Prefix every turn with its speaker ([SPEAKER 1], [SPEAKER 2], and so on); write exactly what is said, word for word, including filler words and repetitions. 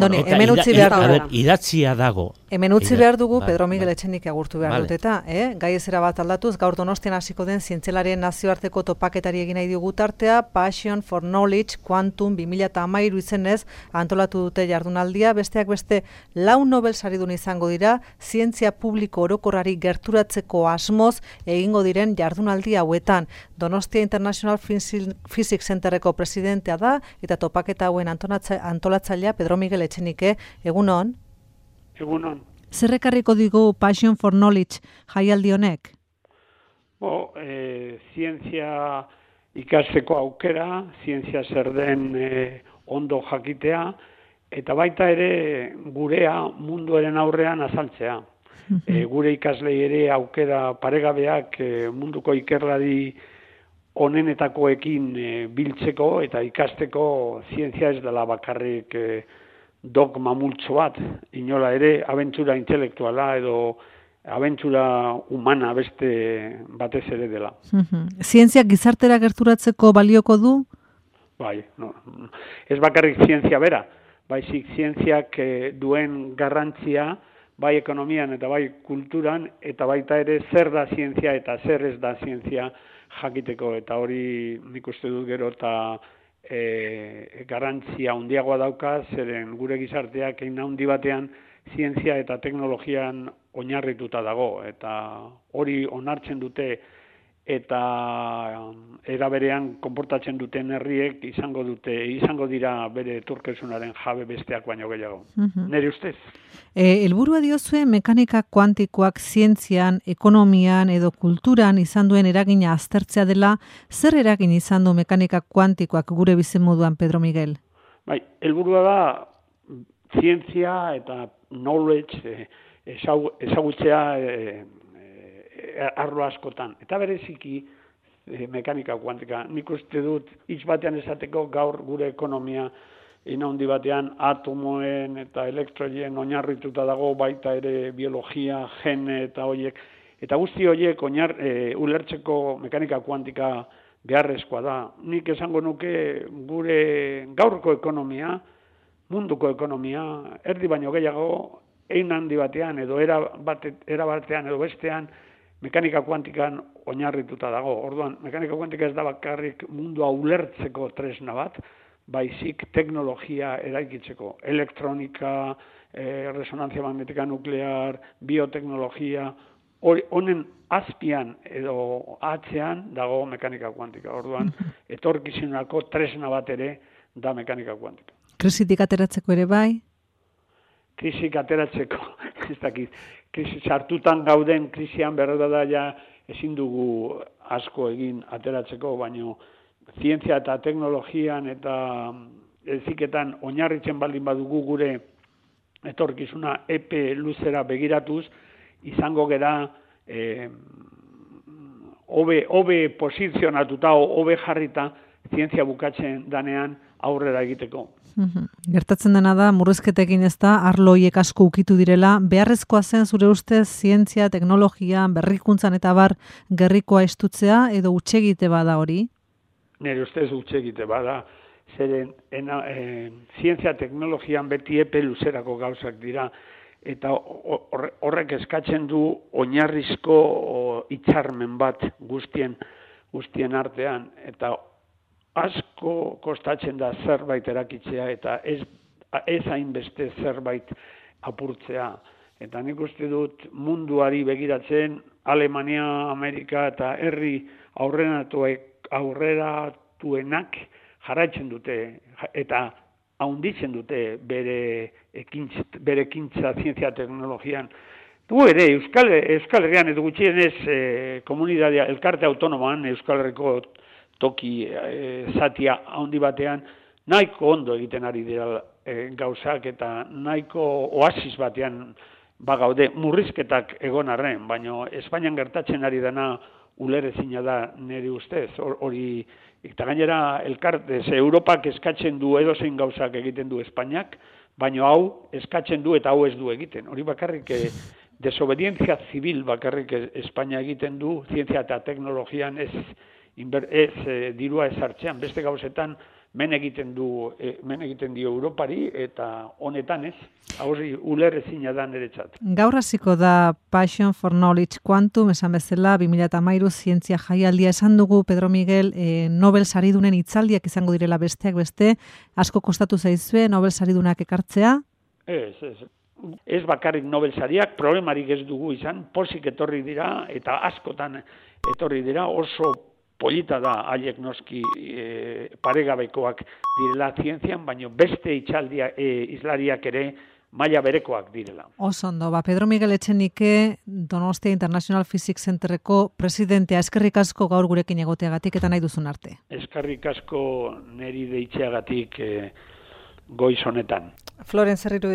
[SPEAKER 1] Doni, hemen utzi behar dugu.
[SPEAKER 2] Idatzia dago.
[SPEAKER 1] Hemen utzi behar dugu, Pedro Miguel Etxenik agurtu behar dut eta, eh? gai ezera bat aldatuz, gaur Donostian hasiko den zientzialarien nazioarteko topaketari egin nahi dugu tartea, Passion for Knowledge Quantum bi mila hamairu izenez antolatu dute jardunaldia, besteak beste lau Nobel saridun izango dira, zientzia publiko orokorrari gerturatzeko asmoz egingo diren jardunaldi hauetan. Donostia International Physics Centerreko presidentea da, eta topaketa hauen antolatzailea Pedro Miguel Etxenike, egunon?
[SPEAKER 3] Egunon.
[SPEAKER 1] Zer ekarriko digu Passion for Knowledge jaialdi honek?
[SPEAKER 3] Bo, e, zientzia ikasteko aukera, zientzia zer den e, ondo jakitea, eta baita ere gurea munduaren aurrean azaltzea. E, gure ikaslei ere aukera paregabeak e, munduko ikerlari onenetakoekin e, biltzeko eta ikasteko zientzia ez dela bakarrik e, dogma multzo bat, inola ere abentura intelektuala edo abentura humana beste batez ere dela.
[SPEAKER 1] Zientziak gizartera gerturatzeko balioko du?
[SPEAKER 3] Bai, no. Ez bakarrik zientzia bera, baizik zientziak e, duen garrantzia bai ekonomian eta bai kulturan, eta baita ere zer da zientzia eta zer ez da zientzia jakiteko, eta hori nik uste dut gero eta e, garrantzia handiagoa dauka, zeren gure gizarteak egin handi batean zientzia eta teknologian oinarrituta dago, eta hori onartzen dute eta era berean konportatzen duten herriek izango dute, izango dira bere etorkizunaren jabe besteak baino gehiago. Uh-huh. Nere ustez?
[SPEAKER 1] E, helburua diozue mekanika kuantikoak zientzian, ekonomian edo kulturan izan duen eragina aztertzea dela, zer eragin izan du mekanika kuantikoak gure bizimoduan, Pedro Miguel?
[SPEAKER 3] Bai, helburua da zientzia eta knowledge eh, ezagutzea eh, arlo askotan. Eta bereziki e, mekanika kuantika. Nik uste dut hitz batean esateko gaur gure ekonomia ina handi batean atomoen eta elektroien oinarrituta dago, baita ere biologia, gene eta hoiek. Eta guzti hoiek oinar e, ulertzeko mekanika kuantika beharrezkoa da. Nik esango nuke gure gaurko ekonomia, munduko ekonomia, erdi baino gehiago, ein handi batean edo era, bate, era batean edo bestean, mekanika kuantikan oinarrituta dago. Orduan, mekanika kuantika ez da bakarrik mundua ulertzeko tresna bat, baizik teknologia eraikitzeko. Elektronika, eh, resonantzia magnetika nuklear, bioteknologia, honen azpian edo atzean dago mekanika kuantika. Orduan, etorkizunako tresna bat ere da mekanika kuantika.
[SPEAKER 1] Krisitik ateratzeko ere bai?
[SPEAKER 3] Krisik ateratzeko, ez dakit, krisi sartutan gauden krisian berda da ja ezin dugu asko egin ateratzeko, baino zientzia eta teknologian eta heziketan oinarritzen baldin badugu gure etorkizuna epe luzera begiratuz, izango gera eh, hobe hobe posizionatuta, hobe jarrita zientzia bukatzen danean aurrera egiteko.
[SPEAKER 1] Uhum. Gertatzen dena da, murrizketekin ez da, arlo hiek asko ukitu direla, beharrezkoa zen zure ustez zientzia, teknologia, berrikuntzan eta bar gerrikoa estutzea, edo utxegite bada hori?
[SPEAKER 3] Nire ustez utxegite bada, zeren ena, e, zientzia teknologian beti epe luzerako gauzak dira, eta horrek eskatzen du oinarrizko hitzarmen bat guztien, guztien artean, eta asko kostatzen da zerbait erakitzea eta ez, ez hainbeste zerbait apurtzea. Eta nik uste dut munduari begiratzen Alemania, Amerika eta herri aurreratuek, aurreratuenak jarraitzen dute eta haunditzen dute bere ekintza, bere ekintza zientzia teknologian. Gu ere, Euskal, Euskal Herrian edo gutxienez eh, komunitatea, elkarte autonoman, Euskal Herriko toki e, zatia handi batean, nahiko ondo egiten ari dira e, gauzak eta nahiko oasis batean bagaude murrizketak egon arren, baina Espainian gertatzen ari dena ulerezina da nire ustez, hori, eta gainera elkarte, ze Europak eskatzen du edozein gauzak egiten du Espainiak, baina hau eskatzen du eta hau ez du egiten. Hori bakarrik e, desobedientzia zibil bakarrik Espainia egiten du, zientzia eta teknologian ez inber, ez e, dirua ezartzean, beste gauzetan men egiten du, e, men egiten dio Europari, eta honetan ez, hori uler ezina da niretzat.
[SPEAKER 1] Gaur hasiko da Passion for Knowledge Quantum, esan bezala, bi mila hamairu zientzia jaialdia esan dugu, Pedro Miguel, e, Nobel saridunen hitzaldiak izango direla besteak beste, asko kostatu zaizue Nobel saridunak ekartzea?
[SPEAKER 3] Ez, ez. Ez bakarrik Nobel sariak, problemarik ez dugu izan, pozik etorri dira, eta askotan etorri dira, oso polita da haiek noski e, paregabekoak direla zientzian, baina beste itxaldia, e, izlariak ere maila berekoak direla.
[SPEAKER 1] Oso ondo, ba, Pedro Miguel Etxenike, Donostia International Physics Centerreko presidentea, eskerrik asko gaur gurekin egoteagatik eta nahi duzun arte.
[SPEAKER 3] Eskerrik asko neri deitzeagatik e, goiz honetan.
[SPEAKER 1] Floren Zerriru